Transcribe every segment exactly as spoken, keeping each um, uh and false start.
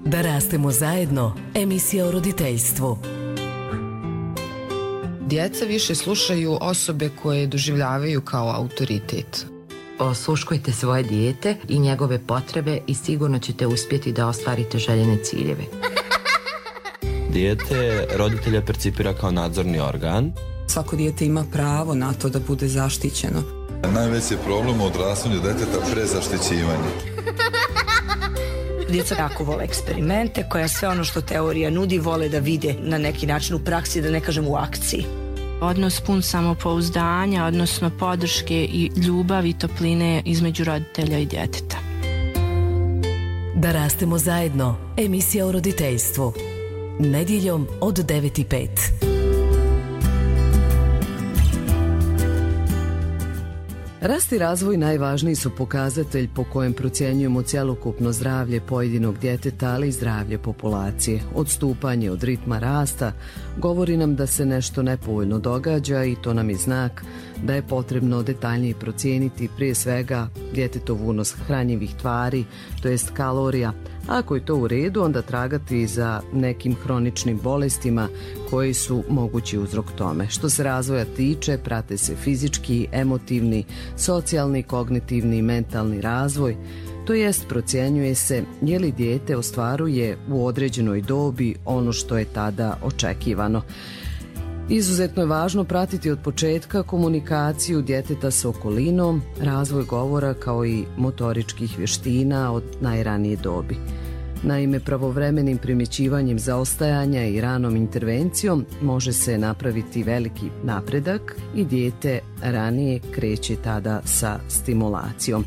Da rastemo zajedno, emisija o roditeljstvu. Djeca više slušaju osobe koje doživljavaju kao autoritet. Osluškujte svoje dijete i njegove potrebe i sigurno ćete uspjeti da ostvarite željene ciljeve. Dijete roditelja percipira kao nadzorni organ. Svako dijete ima pravo na to da bude zaštićeno. Najveći je problem u odrastanju djeteta prezaštićivanje. Djeca jako vole eksperimente, koja sve ono što teorija nudi vole da vide na neki način u praksi, da ne kažem u akciji. Odnos pun samopouzdanja, odnosno podrške i ljubavi i topline između roditelja i djeteta. Da rastemo zajedno, emisija o roditeljstvu. Nedjeljom od devet i pet. Rast i razvoj najvažniji su pokazatelj po kojem procjenjujemo cjelokupno zdravlje pojedinog djeteta, ali i zdravlje populacije. Odstupanje od ritma rasta govori nam da se nešto nepovoljno događa i to nam je znak da je potrebno detaljnije procijeniti prije svega djetetov unos hranjivih tvari, to jest kalorija. Ako je to u redu, onda tragati za nekim hroničnim bolestima koji su mogući uzrok tome. Što se razvoja tiče, prate se fizički, emotivni, socijalni, kognitivni i mentalni razvoj, to jest procjenjuje se je li dijete ostvaruje u određenoj dobi ono što je tada očekivano. Izuzetno je važno pratiti od početka komunikaciju djeteta s okolinom, razvoj govora kao i motoričkih vještina od najranije dobi. Naime, pravovremenim primjećivanjem zaostajanja i ranom intervencijom može se napraviti veliki napredak i dijete ranije kreće tada sa stimulacijom.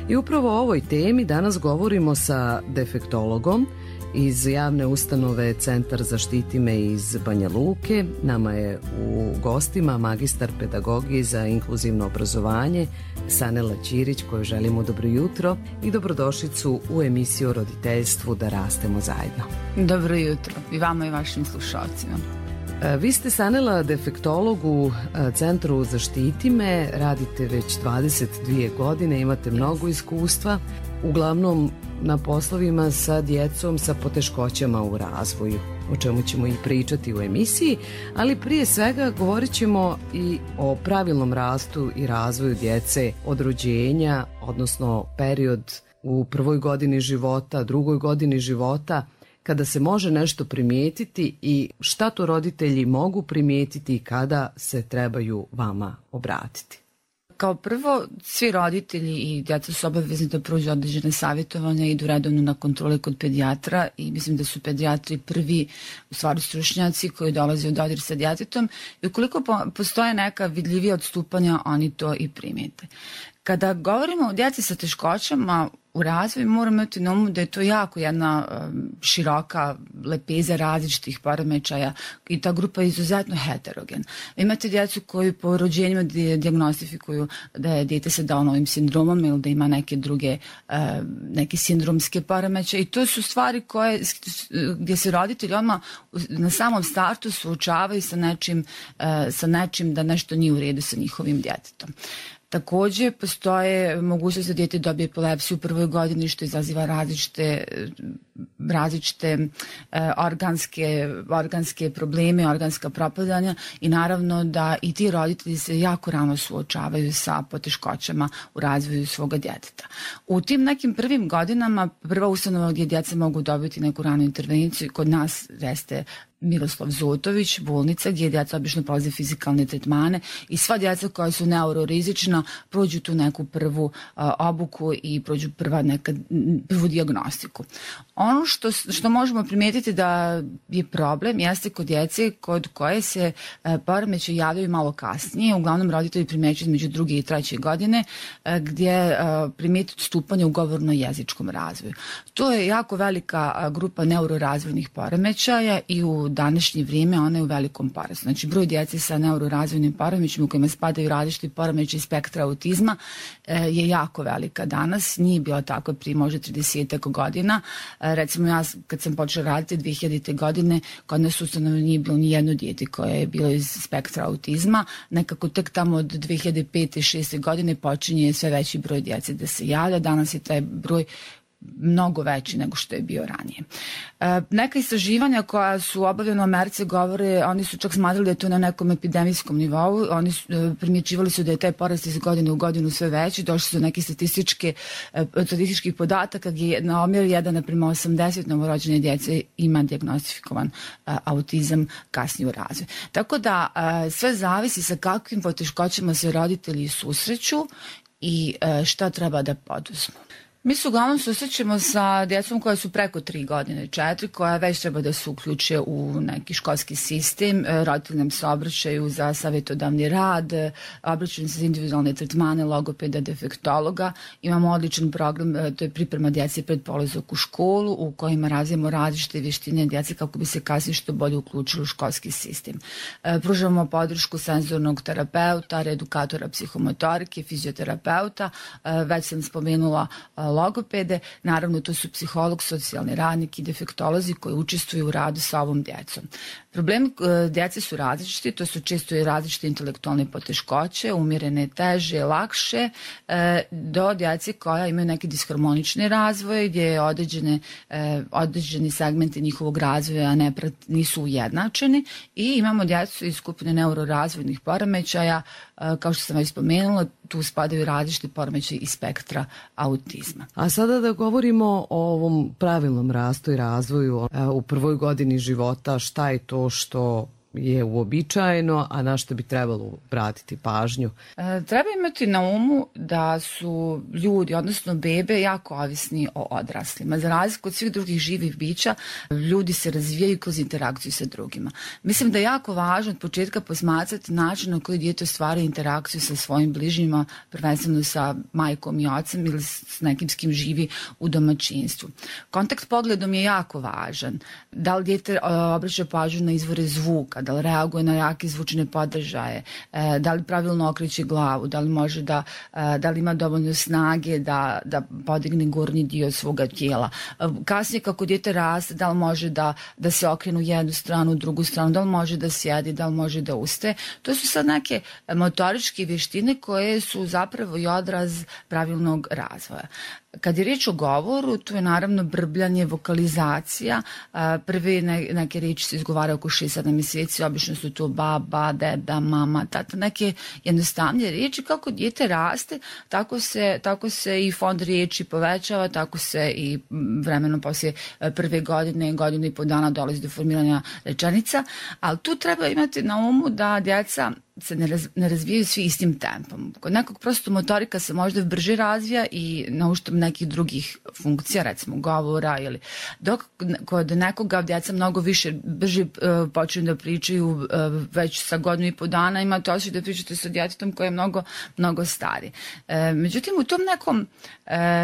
I upravo o ovoj temi danas govorimo sa defektologom iz javne ustanove Centar Zaštiti me iz Banja Luke. Nama je u gostima magistar pedagogije za inkluzivno obrazovanje Sanela Ćirić, koju želimo dobro jutro i dobrodošlicu u emisiju o roditeljstvu Da rastemo zajedno. Dobro jutro i vama i vašim slušalcima. Vi ste, Sanela, defektolog u Centru Zaštiti me, radite već dvadeset dvije godine, imate mnogo iskustva, uglavnom na poslovima sa djecom sa poteškoćama u razvoju, o čemu ćemo i pričati u emisiji, ali prije svega govorit ćemo i o pravilnom rastu i razvoju djece od rođenja, odnosno period u prvoj godini života, drugoj godini života, kada se može nešto primijetiti i šta to roditelji mogu primijetiti i kada se trebaju vama obratiti. Kao prvo, svi roditelji i djeca su obavezni da prođu određene savjetovanja i idu redovno na kontrole kod pedijatra i mislim da su pedijatri prvi u stvari stručnjaci koji dolaze u dodir sa djetetom i ukoliko postoje neka vidljivija odstupanja, oni to i primijete. Kada govorimo o djeci sa teškoćama u razvoju, moramo imati na umu da je to jako jedna široka lepeza različitih poremećaja i ta grupa je izuzetno heterogen. Imate djecu koji po rođenjima dijagnostifikuju da je dijete sa Downovim sindromom ili da ima neke druge neke sindromske poremećaje i to su stvari koje, gdje se roditelji odmah na samom startu suočavaju sa nečim, sa nečim da nešto nije u redu sa njihovim djetetom. Također postoje mogućnost da dijete dobije epilepsiju u prvoj godini što izaziva različite, različite e, organske, organske probleme, organska propadanja i naravno da i ti roditelji se jako rano suočavaju sa poteškoćama u razvoju svoga djeteta. U tim nekim prvim godinama prva ustanova gdje djeca mogu dobiti neku ranu intervenciju kod nas jeste Miroslav Zotović, bolnica gdje djeca obično prolaze fizikalne tretmane i sva djeca koja su neurorizična prođu tu neku prvu uh, obuku i prođu prva neka, prvu dijagnostiku. Ono što, što možemo primijetiti da je problem jeste kod djece kod koje se uh, poremećaji javljaju malo kasnije, uglavnom roditelji primjećuju između druge i treće godine uh, gdje uh, primijeti odstupanje u govorno-jezičkom razvoju. To je jako velika uh, grupa neurorazvojnih poremećaja i u današnje vrijeme ona je u velikom porastu. Znači broj djece sa neurorazvojnim poremećajima u kojima spadaju različiti poremećaji spektra autizma e, je jako velika danas. Nije bilo tako prije možda tridesetak godina. E, recimo ja kad sam počela raditi dvije hiljadite godine kod nas ustanovno nije bilo ni jedno dijete koje je bilo iz spektra autizma. Nekako tek tamo od dvije hiljade pete i šeste godine počinje sve veći broj djece da se javlja. Danas je taj broj mnogo veći nego što je bio ranije. E, neka istraživanja koja su obavljena u Americi govore, oni su čak smatrali da je to na nekom epidemijskom nivou, oni su, e, primjećivali su da je taj porast iz godine u godinu sve veći, došli su do nekih statističke, e, statističkih podataka gdje na omjer jedan naprema osamdeset novorođene djece ima dijagnostifikovan e, autizam kasnije u razvoju. Tako da e, sve zavisi sa kakvim poteškoćama se roditelji susreću i e, šta treba da poduzmu. Mi se uglavnom susrećemo sa djecom koja su preko tri godine, četiri, koja već treba da se uključe u neki školski sistem. Roditelji nam se obraćaju za savjetodavni rad, obraćaju se za individualne tretmane, logopeda, defektologa. Imamo odličan program, to je priprema djece pred polazak u školu, u kojima razvijemo različite vještine djece kako bi se kasnije što bolje uključili u školski sistem. Pružamo podršku senzornog terapeuta, reedukatora psihomotorike, fizioterapeuta, već sam spomenula logopede, naravno to su psiholog, socijalni radnik i defektolozi koji učestvuju u radu sa ovom djecom. Problemi djece su različiti, to su često i različite intelektualne poteškoće, umjerene, teže, lakše, do djece koja imaju neki disharmonični razvoj gdje je određene, određeni segmenti njihovog razvoja ne, nisu ujednačeni i imamo djecu iz skupine neurorazvojnih poremećaja, kao što sam već spomenula, tu spadaju različite poremećaje iz spektra autizma. A sada da govorimo o ovom pravilnom rastu i razvoju u prvoj godini života, šta je to što je uobičajeno, a na što bi trebalo vratiti pažnju? E, treba imati na umu da su ljudi, odnosno bebe, jako ovisni o odraslima. Za razliku od svih drugih živih bića, ljudi se razvijaju kroz interakciju sa drugima. Mislim da je jako važno od početka posmatrati način na koji dijete ostvaruje interakciju sa svojim bližnjima, prvenstveno sa majkom i ocem ili s nekim s kim živi u domaćinstvu. Kontakt pogledom je jako važan. Da li dijete obraća pažnju na izvore zvuka, da li reaguje na jake zvučne podržaje, da li pravilno okreće glavu, da li može da, da li ima dovoljno snage da, da podigne gornji dio svoga tijela. Kasnije kako dijete raste, da li može da, da se okrene u jednu stranu, u drugu stranu, da li može da sjedi, da li može da ustaje. To su sad neke motoričke vještine koje su zapravo i odraz pravilnog razvoja. Kad je riječ o govoru, tu je naravno brbljanje, vokalizacija. Prve neke riječi se izgovaraju oko šest sedam mjeseci, obično su to baba, deda, mama, tata, neke jednostavnije riječi. Kako dijete raste, tako se, tako se i fond riječi povećava, tako se i vremenom poslije prve godine, godine i po dana dolazi do formiranja rečenica, ali tu treba imati na umu da djeca se ne, raz, ne razvijaju svi istim tempom. Kod nekog prosto motorika se možda brže razvija i na uštrb nekih drugih funkcija, recimo govora, ili dok kod nekoga djeca mnogo više brže uh, počinju da pričaju uh, već sa godinu i po dana, imate osjećaj da pričate sa djetetom koje je mnogo, mnogo stari. Uh, međutim, u tom nekom uh,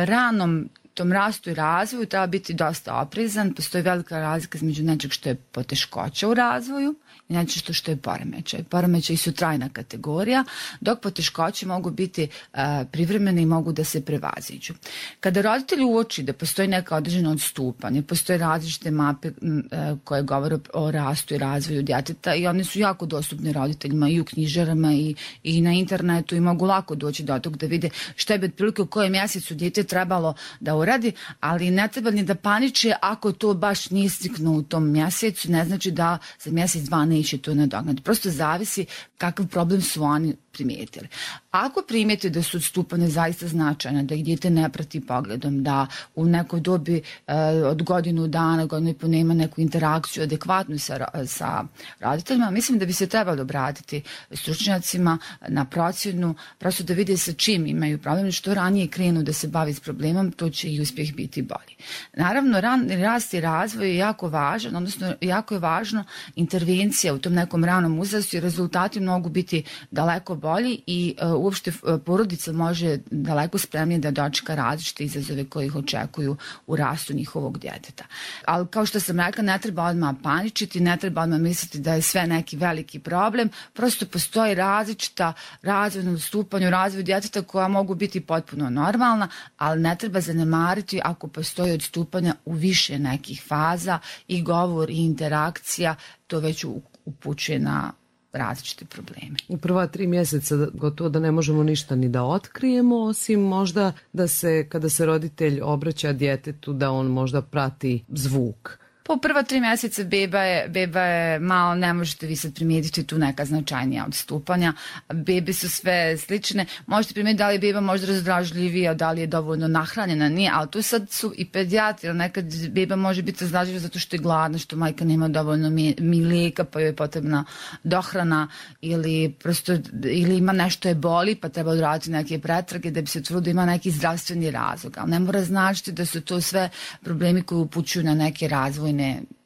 ranom tom rastu i razvoju treba biti dosta oprezan. Postoji velika razlika između nečeg što je poteškoća u razvoju i nešto što je poremećaj. Poremećaj su trajna kategorija, dok poteškoće mogu biti uh, privremene i mogu da se prevaziđu. Kada roditelji uoči da postoji neka određena odstupanja, postoje različite mape uh, koje govore o rastu i razvoju djeteta i one su jako dostupne roditeljima i u knjižarama i, i na internetu i mogu lako doći do tog da vide šta je otprilike u kojem mjesecu dijete trebalo da uradi, ali ne treba ni da paniče ako to baš nije stiknuo u tom mjesecu, ne znači da za mjesec dva neće to nadoknaditi. Prosto zavisi kakav problem su oni primijetili. Ako primijete da su odstupanja zaista značajna, da ih dijete ne prati pogledom, da u nekoj dobi e, od godinu dana, godinu i po nema neku interakciju adekvatnu sa, sa roditeljima, mislim da bi se trebalo obratiti stručnjacima na procjenu, prosto da vide sa čim imaju problem, što ranije krenu da se bavi s problemom, to će i uspjeh biti bolji. Naravno, ran, rast i razvoj je jako važan, odnosno jako je važno intervencija u tom nekom ranom uzrastu i rezultati mogu biti daleko bolji i uh, uopšte uh, porodica može daleko spremnije da dočeka različite izazove koji ih očekuju u rastu njihovog djeteta. Ali kao što sam rekla, ne treba odmah paničiti, ne treba odmah misliti da je sve neki veliki problem, prosto postoji različita razvojna odstupanja u razvoju djeteta koja mogu biti potpuno normalna, ali ne treba zanemariti ako postoji odstupanja u više nekih faza i govor i interakcija, to već upućuje na različite probleme. U prva tri mjeseca gotovo da ne možemo ništa ni da otkrijemo, osim možda da se, kada se roditelj obraća djetetu, da on možda prati zvuk. Po prva tri mjeseca beba je, beba je malo, ne možete vi sad primijetiti tu neka značajnija odstupanja. Bebe su sve slične. Možete primijetiti da li je beba možda razdražljivija, da li je dovoljno nahranjena, nije, ali tu sad su i pedijatri, jer nekad beba može biti razdražljiva zato što je gladna, što majka nema dovoljno mlijeka pa joj je potrebna dohrana ili prosto, ili ima nešto je boli pa treba odraditi neke pretrage da bi se utvrdilo da ima neki zdravstveni razlog. Ali ne mora značiti da su to sve problemi koji upućuju na neke razvojne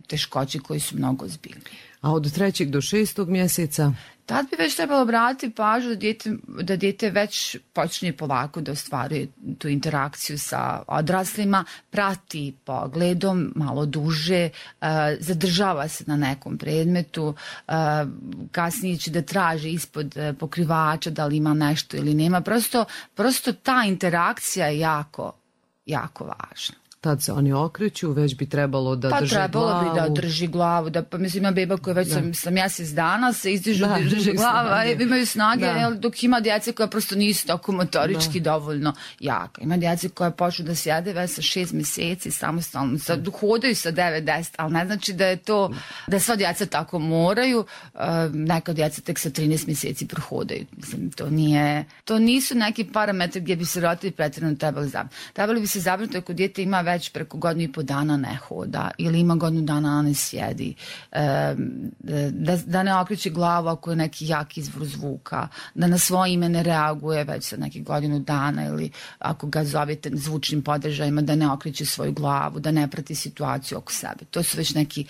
teškoće koji su mnogo ozbiljni. A od trećeg do šestog mjeseca? Tad bi već trebalo obratiti pažnju da dijete, da dijete već počne polako da ostvaruje tu interakciju sa odraslima, prati pogledom malo duže, uh, zadržava se na nekom predmetu, uh, kasnije će da traži ispod uh, pokrivača da li ima nešto ili nema. Prosto, prosto ta interakcija je jako, jako važna. Tad se oni okreću, već bi trebalo da pa drže trebalo glavu. Pa trebalo bi da drži glavu. Da, pa mislim, ima beba koja već da. sam, sam mjesec dana se izdižu da drže glava, imaju snage, da. dok ima djece koja prosto nisu tako motorički da. dovoljno jaka. Ima djece koja počnu da sjede već sa šest mjeseci samostalno, sa, hodaju sa devet deset, ali ne znači da je to, da sva djeca tako moraju. Uh, neka djeca tek sa trinaest mjeseci prohodaju. Mislim, to nije, to nisu neki parametri gdje bi se roditelji pretjerano trebali zabrinuti. Trebali bi se zabrinuti ako dijete ima već preko godinu i po dana ne hoda ili ima godinu dana ne sjedi, e, da, da ne okreće glavu ako je neki jak izvor zvuka, da na svoje ime ne reaguje već sa nekih godinu dana ili ako ga zovete zvučnim podržajima da ne okreće svoju glavu, da ne prati situaciju oko sebe. To su već neki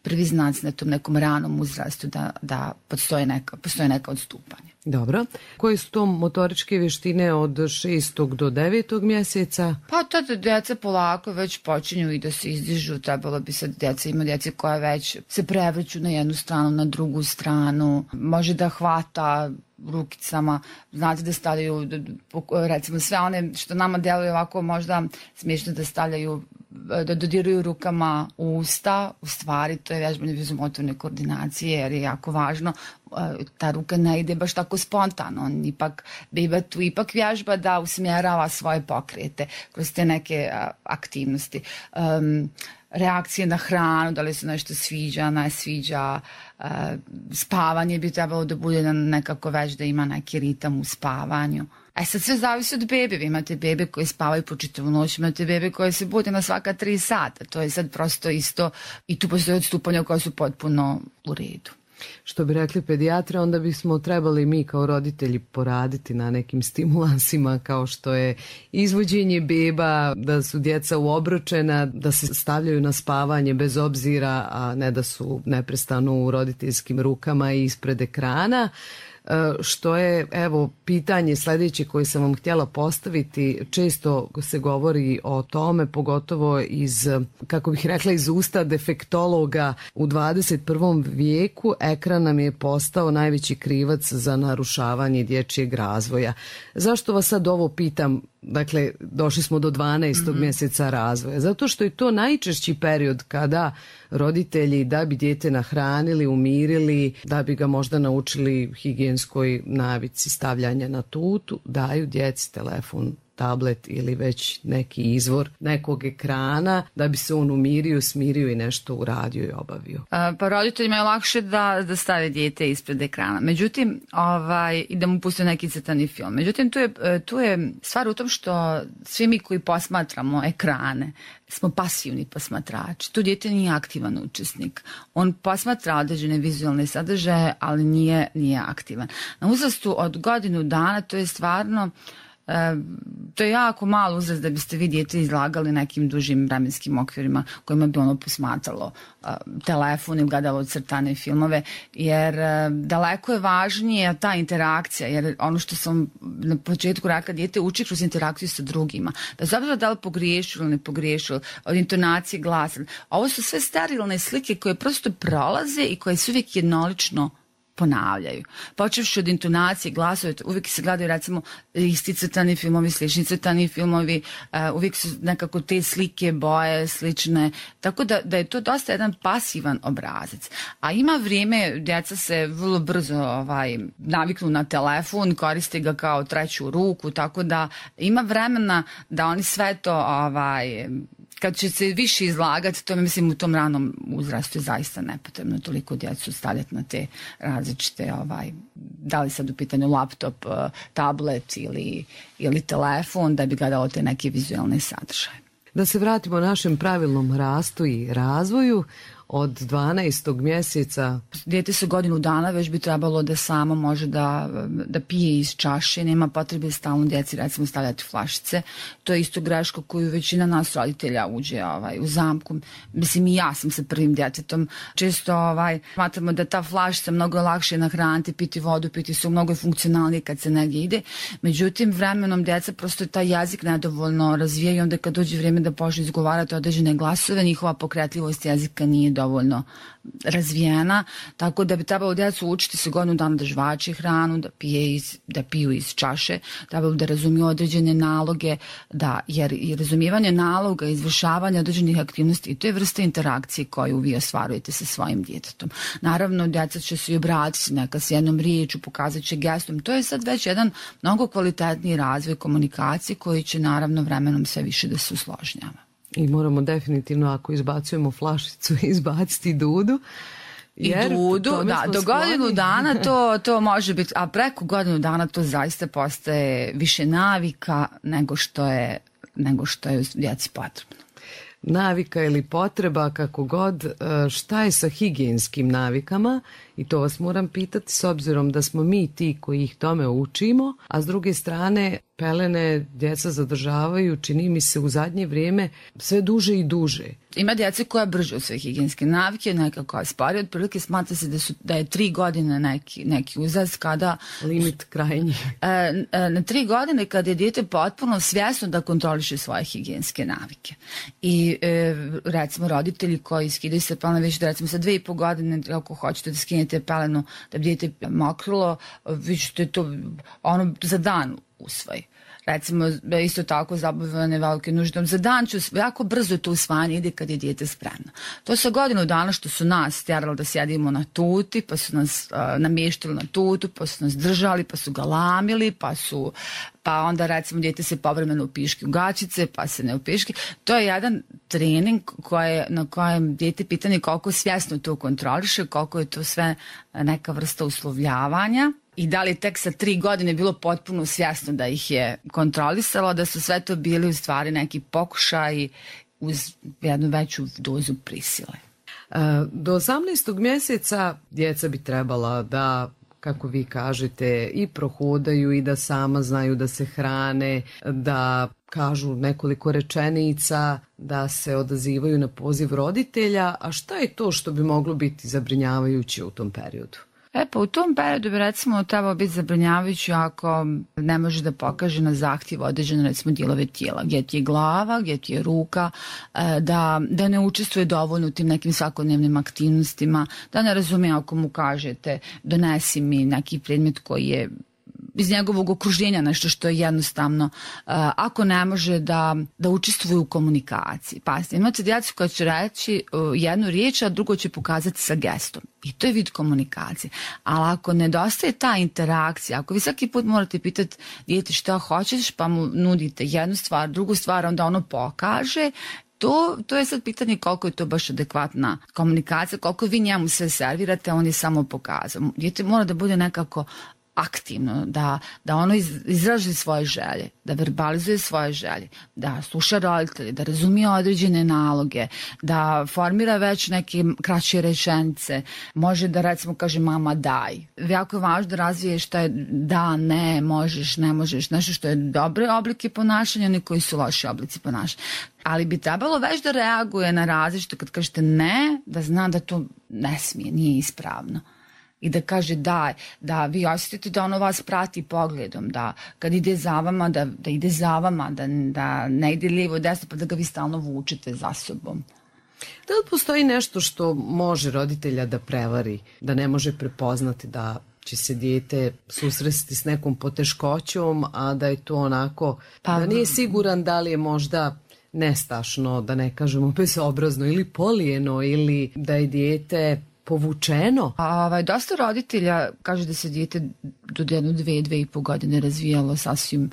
prvi znaci na tom nekom ranom uzrastu da, da postoje, neka, postoje neka odstupanja. Dobro. Koje su to motoričke vještine od šestog do devetog mjeseca? Pa tada djeca polako već počinju i da se izdižu. Trebalo bi sad djeca, ima djece koja već se prevrću na jednu stranu, na drugu stranu. Može da hvata rukicama, znate da stavljaju, recimo sve one što nama deluje ovako možda smiješno da stavljaju, da dodiruju rukama u usta, u stvari to je vježbanje vizumotorne koordinacije jer je jako važno, ta ruka ne ide baš tako spontano, on ipak, beba tu ipak vježba da usmjerava svoje pokrete kroz te neke aktivnosti. Um, reakcije na hranu, da li se nešto sviđa, ne sviđa, uh, spavanje bi trebalo da bude nekako već da ima neki ritam u spavanju. E sad sve zavisi od bebe, vi imate bebe koje spavaju po čitavu noć, imate bebe koje se bude na svaka tri sata, to je sad prosto isto i tu postoje odstupanja koja su potpuno u redu. Što bi rekli pedijatre, onda bismo trebali mi kao roditelji poraditi na nekim stimulansima kao što je izvođenje beba, da su djeca uobročena, da se stavljaju na spavanje bez obzira, a ne da su neprestano u roditeljskim rukama i ispred ekrana. Što je, evo, pitanje sljedeće koje sam vam htjela postaviti, često se govori o tome, pogotovo iz, kako bih rekla, iz usta defektologa u dvadeset prvom vijeku, ekran nam je postao najveći krivac za narušavanje dječjeg razvoja. Zašto vas sad ovo pitam? Dakle, došli smo do dvanaestog Mm-hmm. mjeseca razvoja. Zato što je to najčešći period kada roditelji, da bi dijete nahranili, umirili, da bi ga možda naučili higijenskoj navici stavljanja na tutu, daju djeci telefon, tablet ili već neki izvor nekog ekrana da bi se on umirio, smirio i nešto uradio i obavio. A, pa roditeljima je lakše da, da stave dijete ispred ekrana. Međutim, ovaj, i da mu puste neki crtani film. Međutim, tu je, tu je stvar u tom što svi mi koji posmatramo ekrane smo pasivni posmatrači. Tu dijete nije aktivan učesnik. On posmatra određene vizualne sadržaje, ali nije, nije aktivan. Na uzrastu od godinu dana to je stvarno E, to je jako malo uzrast da biste vi dijete izlagali nekim dužim vremenskim okvirima kojima bi ono posmatralo e, telefon ili gledalo crtane filmove, jer e, daleko je važnije ta interakcija, jer ono što sam na početku rekla, dijete uči kroz interakciju sa drugima. Da zapravo da li pogriješilo ili ne pogriješilo, od intonacije glasa. Ovo su sve sterilne slike koje prosto prolaze i koje su uvijek jednolično ponavljaju. Počevši od intonacije, glasove, uvijek se gledaju recimo isti crtani filmovi, slični crtani filmovi, uh, uvijek su nekako te slike, boje, slične, tako da, da je to dosta jedan pasivan obrazac. A ima vrijeme, djeca se vrlo brzo ovaj, naviknu na telefon, koriste ga kao treću ruku, tako da ima vremena da oni sve to, ovaj, kad će se više izlagati, to mislim u tom ranom uzrastu je zaista nepotrebno toliko djecu stavljati na te različite, ovaj, da li sad u pitanju laptop, tablet ili, ili telefon, da bi gledalo te neke vizualne sadržaje. Da se vratimo našem pravilnom rastu i razvoju, od dvanaestog mjeseca. Dijete sa godinu dana već bi trebalo da samo može da, da pije iz čaše, nema potrebe stalno djeci recimo stavljati flašice. To je isto greška koju većina nas roditelja uđe ovaj, u zamku. Mislim i ja sam sa prvim djetetom. Često ovaj, smatramo da ta flašica mnogo je lakše nahraniti, piti vodu, piti su mnogo funkcionalnije kad se negdje ide. Međutim, vremenom djeca prosto taj jezik nedovoljno razvija i onda kad dođe vrijeme da počne izgovarati određene glasove, njihova pokretljivost jezika nije dovoljno razvijena, tako da bi trebalo djecu učiti se godinu dana da žvače hranu, da, pije iz, da piju iz čaše, trebalo da razumiju određene naloge, da, jer i razumijevanje naloga, izvršavanje određenih aktivnosti, to je vrsta interakcije koju vi ostvarujete sa svojim djetetom. Naravno, djeca će se i obratiti neka s jednom riječu, pokazat će gestom. To je sad već jedan mnogo kvalitetniji razvoj komunikacije koji će naravno vremenom sve više da se usložnjava. I moramo definitivno, ako izbacujemo flašicu, izbaciti dudu. I dudu, da, do godinu dana to, to može biti, a preko godinu dana to zaista postaje više navika nego što je, nego što je djeci potrebno. Navika ili potreba, kako god, šta je sa higijenskim navikama? I to vas moram pitati s obzirom da smo mi ti koji ih tome učimo, a s druge strane pelene djeca zadržavaju, čini mi se u zadnje vrijeme, sve duže i duže. Ima djece koja brže od sve higijenske navike, neka koja spari, otprilike smatra se da, su, da je tri godine neki, neki uzrast kada... Limit krajnji. E, e, na tri godine kada je dijete potpuno svjesno da kontroliše svoje higijenske navike. I e, recimo roditelji koji skidaju se pelene već da recimo sa dve i po godine, ako hoćete da skinete pelenu da bi dijete mokrilo, vi ćete to ono za dan usvoji. Recimo, isto tako zabavljene velike nuždom. Za dan ću, jako brzo to usvajanje ide kad je dijete spremno. To sa godinu dana što su nas tjerali da sjedimo na tuti, pa su nas uh, namještali na tutu, pa su nas držali, pa su galamili, pa su, pa onda recimo dijete se povremeno upiški u gačice, pa se ne upiški. To je jedan trening koje, na kojem dijete pitanje koliko svjesno to kontroliše, koliko je to sve neka vrsta uslovljavanja. I da li tek sa tri godine bilo potpuno svjesno da ih je kontrolisalo, da su sve to bili u stvari neki pokušaji uz jednu veću dozu prisile. Do osamnaestog mjeseca djeca bi trebala da, kako vi kažete, i prohodaju i da sama znaju da se hrane, da kažu nekoliko rečenica, da se odazivaju na poziv roditelja. A šta je to što bi moglo biti zabrinjavajuće u tom periodu? E pa u tom periodu bi recimo trebalo biti zabrinjavajuće ako ne može da pokaže na zahtjev određene recimo dijelove tijela, gdje ti je glava, gdje ti je ruka, da, da ne učestvuje dovoljno u tim nekim svakodnevnim aktivnostima, da ne razumije ako mu kažete donesi mi neki predmet koji je iz njegovog okruženja, nešto što je jednostavno, uh, ako ne može da, da učestvuje u komunikaciji. Pazite, imate djecu koja će reći uh, jednu riječ, a drugo će pokazati sa gestom. I to je vid komunikacije. Ali ako nedostaje ta interakcija, ako vi svaki put morate pitati dijete šta hoćeš, pa mu nudite jednu stvar, drugu stvar, onda ono pokaže, To, to je sad pitanje koliko je to baš adekvatna komunikacija, koliko vi njemu sve servirate, on je samo pokazao. Dijete mora da bude nekako aktivno, da, da ono iz, izraži svoje želje, da verbalizuje svoje želje, da sluša roditelje, da razumije određene naloge, da formira već neke kraće rečenice, može da recimo kaže mama daj. Jako je važno da razviješ šta je da, ne, možeš, ne možeš, nešto što je dobre oblike ponašanja, ne koji su loši oblici ponašanja. Ali bi trebalo već da reaguje na različito kad kažete ne, da zna da to ne smije, nije ispravno. I da kaže da, da vi osjetite da ono vas prati pogledom, da kad ide za vama, da, da ide za vama, da, da ne ide lijevo desno, pa da ga vi stalno vučete za sobom. Da li postoji nešto što može roditelja da prevari, da ne može prepoznati da će se dijete susresti s nekom poteškoćom, a da je to onako, pa, da nije siguran da li je možda nestašno, da ne kažemo bezobrazno ili polijeno, ili da je dijete povučeno? A, ovaj, dosta roditelja kaže da se dijete do jedno, dve, dve i po godine razvijalo sasvim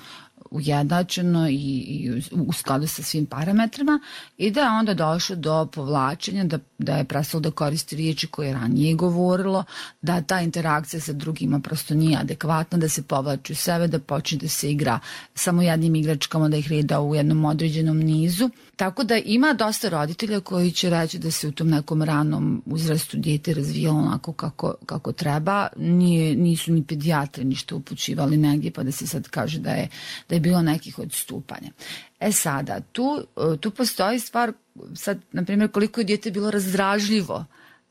ujednačeno i, i u skladu sa svim parametrima i da je onda došlo do povlačenja, da, da je prestalo da koristi riječi koje je ranije govorilo, da ta interakcija sa drugima prosto nije adekvatna, da se povlači u sebe, da počne da se igra samo jednim igračkama, da ih reda u jednom određenom nizu. Tako da ima dosta roditelja koji će reći da se u tom nekom ranom uzrastu dijete razvijalo onako kako, kako treba. Nije, nisu ni pedijatri ništa upućivali negdje pa da se sad kaže da je, da je bilo nekih odstupanja. E sada, tu, tu postoji stvar, sad, na primjer, koliko je dijete bilo razdražljivo,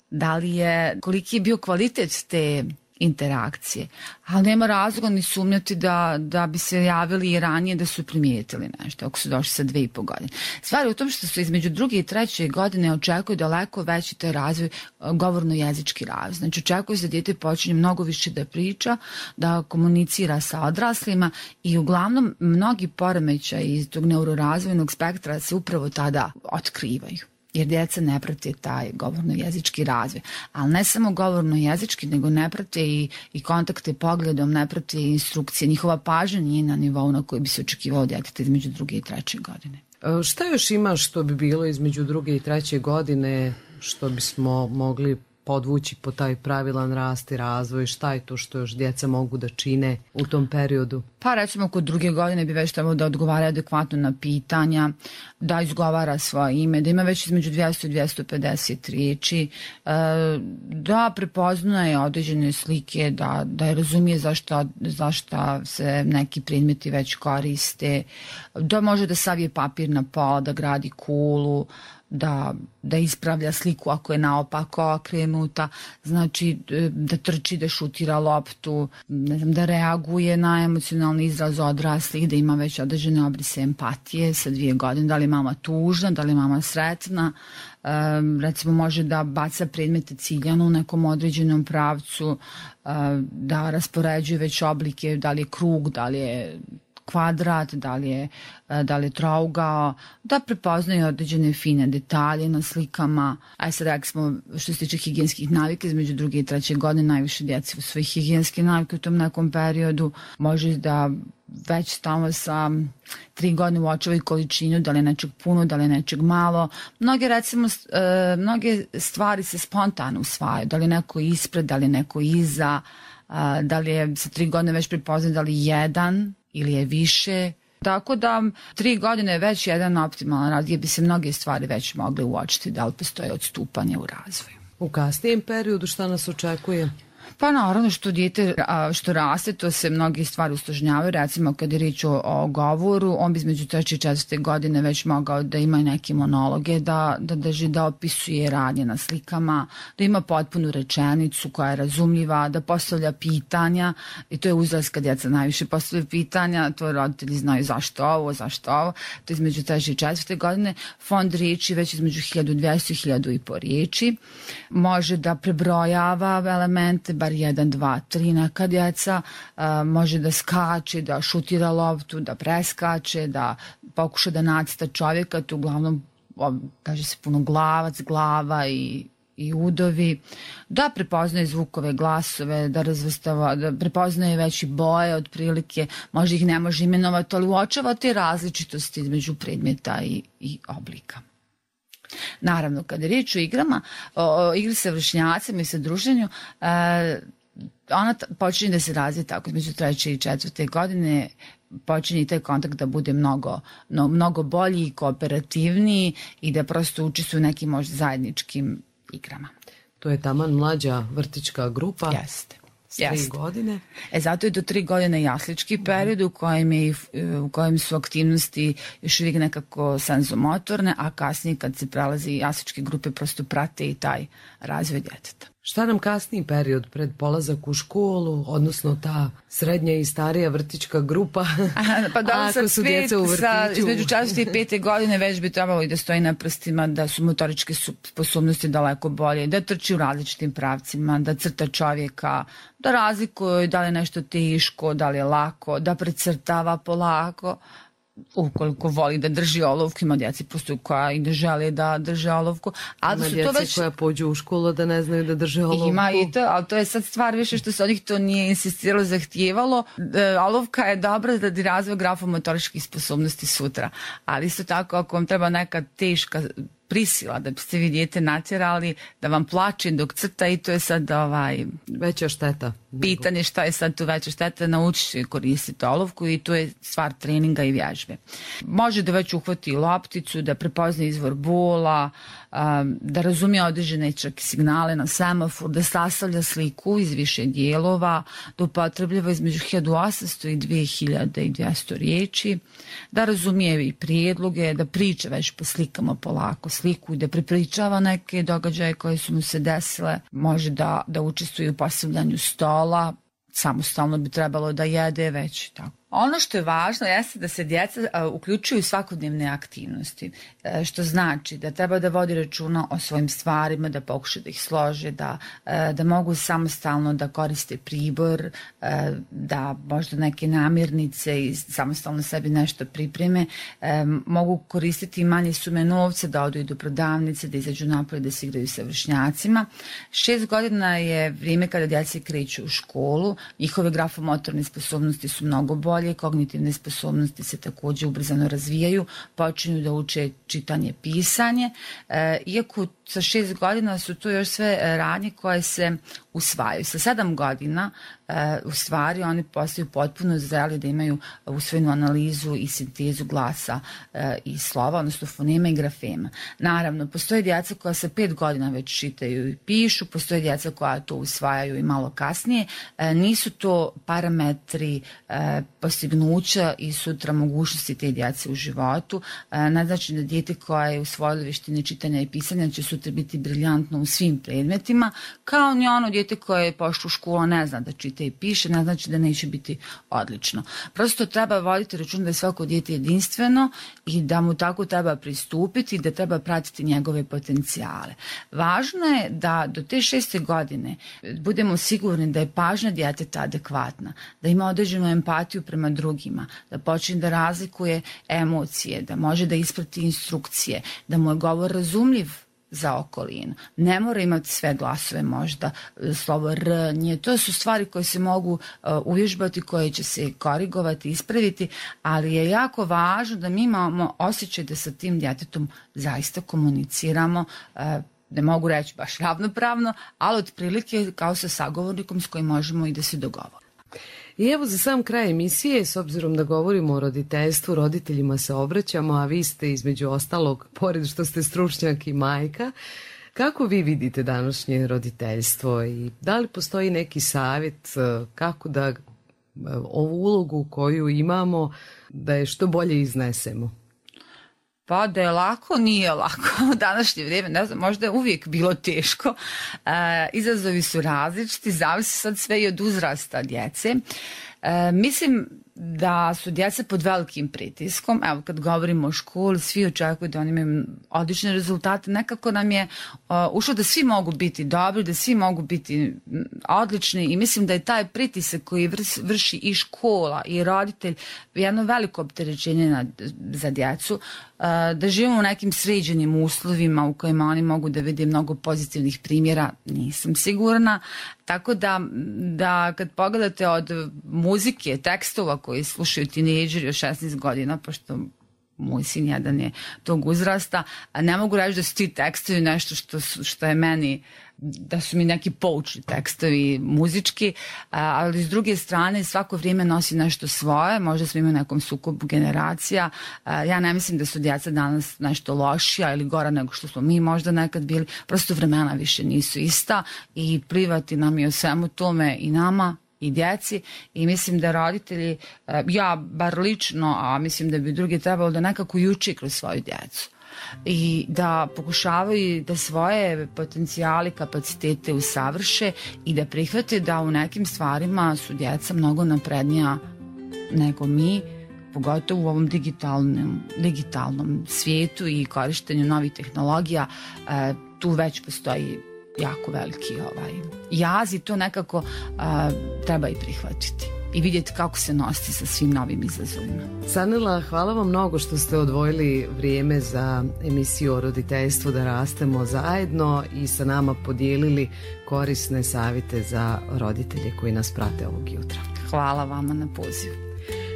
da li je, koliki je bio kvalitet te interakcije, ali nema razloga ni sumnjati da, da bi se javili i ranije da su primijetili nešto, ako su došli sa dve i po godine. Stvar je u tom što su između druge i treće godine očekuju daleko veći taj razvoj, govorno-jezički razvoj. Znači očekuju se da dijete počinje mnogo više da priča, da komunicira sa odraslima i uglavnom mnogi poremećaji iz tog neurorazvojnog spektra se upravo tada otkrivaju. Jer djeca ne prate taj govorno-jezički razvoj. Ali ne samo govorno-jezički, nego ne prate i, i kontakte pogledom, ne prate i instrukcije. Njihova pažnja nije na nivou na koji bi se očekivao djeteta između druge i treće godine. Šta još ima što bi bilo između druge i treće godine, što bismo mogli podvući po taj pravilan rast i razvoj? Šta je to što još djeca mogu da čine u tom periodu? Pa recimo kod druge godine bi već trebalo da odgovara adekvatno na pitanja, da izgovara svoje ime, da ima već između dvjesto i dvjesto pedeset riječi, da prepoznaje određene slike, da, da razumije zašto, zašto se neki predmeti već koriste, da može da savije papir na pola, da gradi kulu, da, da ispravlja sliku ako je naopako okrenuta, znači da trči, da šutira loptu, ne znam, da reaguje na emocionalni izraz odraslih, da ima već određene obrise empatije sa dvije godine, da li je mama tužna, da li je mama sretna, um, recimo može da baca predmete ciljano u nekom određenom pravcu, uh, da raspoređuje već oblike, da li je krug, da li je kvadrat, da li je, da li je trougao, da prepoznaju određene fine detalje na slikama. A sad rekli smo, što se tiče higijenskih navika, između druge i treće godine najviše djece u svojih higijenske navike u tom nekom periodu. Može da već stalno sa tri godine uočavaju količinu, da li je nečeg puno, da li je nečeg malo. Mnoge, recimo, e, mnoge stvari se spontano usvajaju, da li je neko ispred, da li je neko iza, a, da li je sa tri godine već prepoznat da li jedan ili je više. Tako da tri godine je već jedan optimalan rad gdje bi se mnoge stvari već mogle uočiti da li postoje odstupanje u razvoju. U kasnijem periodu šta nas očekuje? Pa naravno što dijete što raste, to se mnogi stvari usložnjavaju. Recimo kad je riječ o, o govoru, on bi između treće i četvrte godine već mogao da ima i neke monologe, da, da drži, da opisuje radnje na slikama, da ima potpunu rečenicu koja je razumljiva, da postavlja pitanja, i to je uzrast kad djeca najviše postavljaju pitanja, to roditelji znaju zašto ovo, zašto ovo, to je između treće i četvrte godine. Fond riječi već između hiljadu dvjesto i hiljadu i po riječi. Može da prebrojava elemente, bar jedan, dva, tri, neka djeca, a, može da skače, da šutira loptu, da preskače, da pokuša da nacrta čovjeka, to uglavnom kaže se puno glavac, glava i, i udovi, da prepoznaje zvukove, glasove, da razvrstava, da prepoznaje već i boje otprilike, možda ih ne može imenovati, ali uočava te različitosti između predmeta i, i oblika. Naravno, kada je riječ o igrama, o, o igri sa vršnjacima i sa druženju, e, ona t- počinje da se razvije tako između treće i četvrte godine, počinje i taj kontakt da bude mnogo, no, mnogo bolji i kooperativniji i da prosto učestvuju u nekim možda zajedničkim igrama. To je taman mlađa vrtićka grupa. Jeste. S tri Jest. godine. E, zato je do tri godine jaslički period u kojem, je, u kojem su aktivnosti još uvijek nekako senzomotorne, a kasnije kad se prelazi jasličke grupe prosto prate i taj razvoj djeteta. Šta nam kasniji period pred polazak u školu, odnosno ta srednja i starija vrtićka grupa? Aha, pa da, ako su djeca u vrtiću. Sa, između četvrte i pete godine već bi trebalo i da stoji na prstima, da su motoričke sposobnosti daleko bolje, da trči u različitim pravcima, da crta čovjeka, da razlikuje da li je nešto teško, da li je lako, da precrtava polako. Ukoliko voli da drži olovku, ima djeci postoju koja i ne žele da drže olovku. Ali ima su djeci to već... koja pođu u školu da ne znaju da drže olovku. Ima i to, ali to je sad stvar više što se od njih to nije insistiralo, zahtijevalo. E, olovka je dobra da razvoj grafomotoričkih sposobnosti sutra. Ali isto tako ako vam treba neka teška prisila da biste vi dijete natjerali da vam plače dok crta, i to je sad ovaj, veća šteta. Pitanje šta je sad tu veća šteta, naučiti koristiti olovku i to je stvar treninga i vježbe. Može da već uhvati lopticu, da prepozna izvor bola, da razumije određene čak signale na semafor, da sastavlja sliku iz više dijelova, da upotrebljava između hiljadu osamsto i dve hiljade dvjesto riječi, da razumije i prijedloge, da priča već po slikama polako sliku i da prepričava neke događaje koje su mu se desile, može da, da učestvuje u postavljanju stola, samostalno bi trebalo da jede već tako. Ono što je važno jeste da se djeca a, uključuju u svakodnevne aktivnosti, e, što znači da treba da vodi računa o svojim stvarima, da pokuša da ih slože, da, e, da mogu samostalno da koriste pribor, e, da možda neke namirnice i samostalno sebi nešto pripreme, e, mogu koristiti manje sume novca, da odu i do prodavnice, da izađu napolje, da se igraju sa vršnjacima. Šest godina je vrijeme kada djeca kreću u školu, njihove grafomotorne sposobnosti su mnogo bolje, kognitivne sposobnosti se također ubrzano razvijaju, počinju da uče čitanje, pisanje, e, iako sa šest godina su to još sve radnje koje se usvajaju. Sa sedam godina e, u stvari oni postaju potpuno zreli da imaju usvojenu analizu i sintezu glasa e, i slova, odnosno fonema i grafema. Naravno, postoje djeca koja sa pet godina već čitaju i pišu, postoje djeca koja to usvajaju i malo kasnije. E, nisu to parametri e, postignuća i sutra mogućnosti te djece u životu. E, ne znači da dijete koje je usvojilo vještine čitanja i pisanja će sutra biti briljantno u svim predmetima, kao ni ono dijete koje je pošlo u školu ne zna da čita i piše, ne znači da neće biti odlično. Prosto treba voditi račun da je svako dijete jedinstveno i da mu tako treba pristupiti i da treba pratiti njegove potencijale. Važno je da do te šeste godine budemo sigurni da je pažnja djeteta adekvatna, da ima određenu empatiju prema drugima, da počne da razlikuje emocije, da može da isprati instrukcije, da mu je govor razumljiv za okolinu. Ne mora imati sve glasove, možda slovo R, nje. To su stvari koje se mogu uh, uvježbati, koje će se korigovati, ispraviti, ali je jako važno da mi imamo osjećaj da sa tim djetetom zaista komuniciramo, uh, ne mogu reći baš ravnopravno, ali otprilike kao sa sagovornikom s kojim možemo i da se dogovorimo. I evo za sam kraj emisije, s obzirom da govorimo o roditeljstvu, roditeljima se obraćamo, a vi ste između ostalog, pored što ste stručnjak i majka, kako vi vidite današnje roditeljstvo i da li postoji neki savjet kako da ovu ulogu koju imamo, da je što bolje iznesemo? Pa da je lako, nije lako. U današnje vrijeme, ne znam, možda je uvijek bilo teško. E, izazovi su različiti, zavisi sad sve i od uzrasta djece. E, mislim da su djeca pod velikim pritiskom. Evo, kad govorimo o školi, svi očekuju da oni imaju odlične rezultate. Nekako nam je uh, ušlo da svi mogu biti dobri, da svi mogu biti odlični i mislim da je taj pritisak koji vrši i škola i roditelj jedno veliko opterećenje na, za djecu. Uh, da živimo u nekim sređenim uslovima u kojima oni mogu da vide mnogo pozitivnih primjera, nisam sigurna. Tako da, da kad pogledate od muzike, tekstova koji slušaju tinejdžeri od šesnaest godina, pošto moj sin jedan je tog uzrasta, ne mogu reći da su ti tekstovi nešto što, što je meni, da su mi neki poučni tekstovi muzički, ali s druge strane svako vrijeme nosi nešto svoje, možda smo imali nekom sukobu generacija. Ja ne mislim da su djeca danas nešto lošija ili gora nego što smo mi možda nekad bili, prosto vremena više nisu ista i plivati nam je o svemu tome i nama i djeci i mislim da roditelji, ja bar lično, a mislim da bi drugi trebalo da nekako i uči kroz svoju djecu. i da pokušavaju da svoje potencijale, kapacitete usavrše i da prihvate da u nekim stvarima su djeca mnogo naprednija nego mi, pogotovo u ovom digitalnom, digitalnom svijetu i korištenju novih tehnologija. E, tu već postoji jako veliki ovaj, jaz i to nekako a, treba i prihvatiti i vidjeti kako se nositi sa svim novim izazovima. Sanela, hvala vam mnogo što ste odvojili vrijeme za emisiju o roditeljstvu Da rastemo zajedno i sa nama podijelili korisne savjete za roditelje koji nas prate ovog jutra. Hvala vama na pozivu.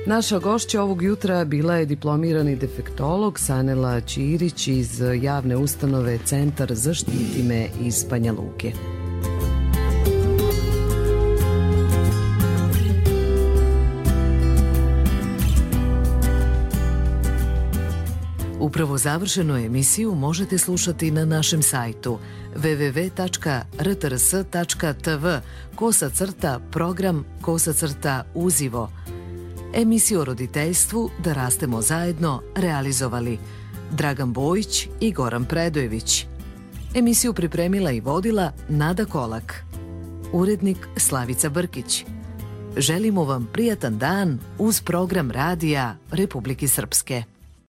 Naša gošća ovog jutra bila je diplomirani defektolog Sanela Ćirić iz javne ustanove Centar Zaštiti me iz Banja Luke. Upravo završenu emisiju možete slušati na našem sajtu w w w tačka r t r s tačka t v kosa crta program kosa crta uzivo. Emisiju o roditeljstvu Da rastemo zajedno realizovali Dragan Bojić i Goran Predojević. Emisiju pripremila i vodila Nada Kolak. Urednik Slavica Brkić. Želimo vam prijatan dan uz program radija Republike Srpske.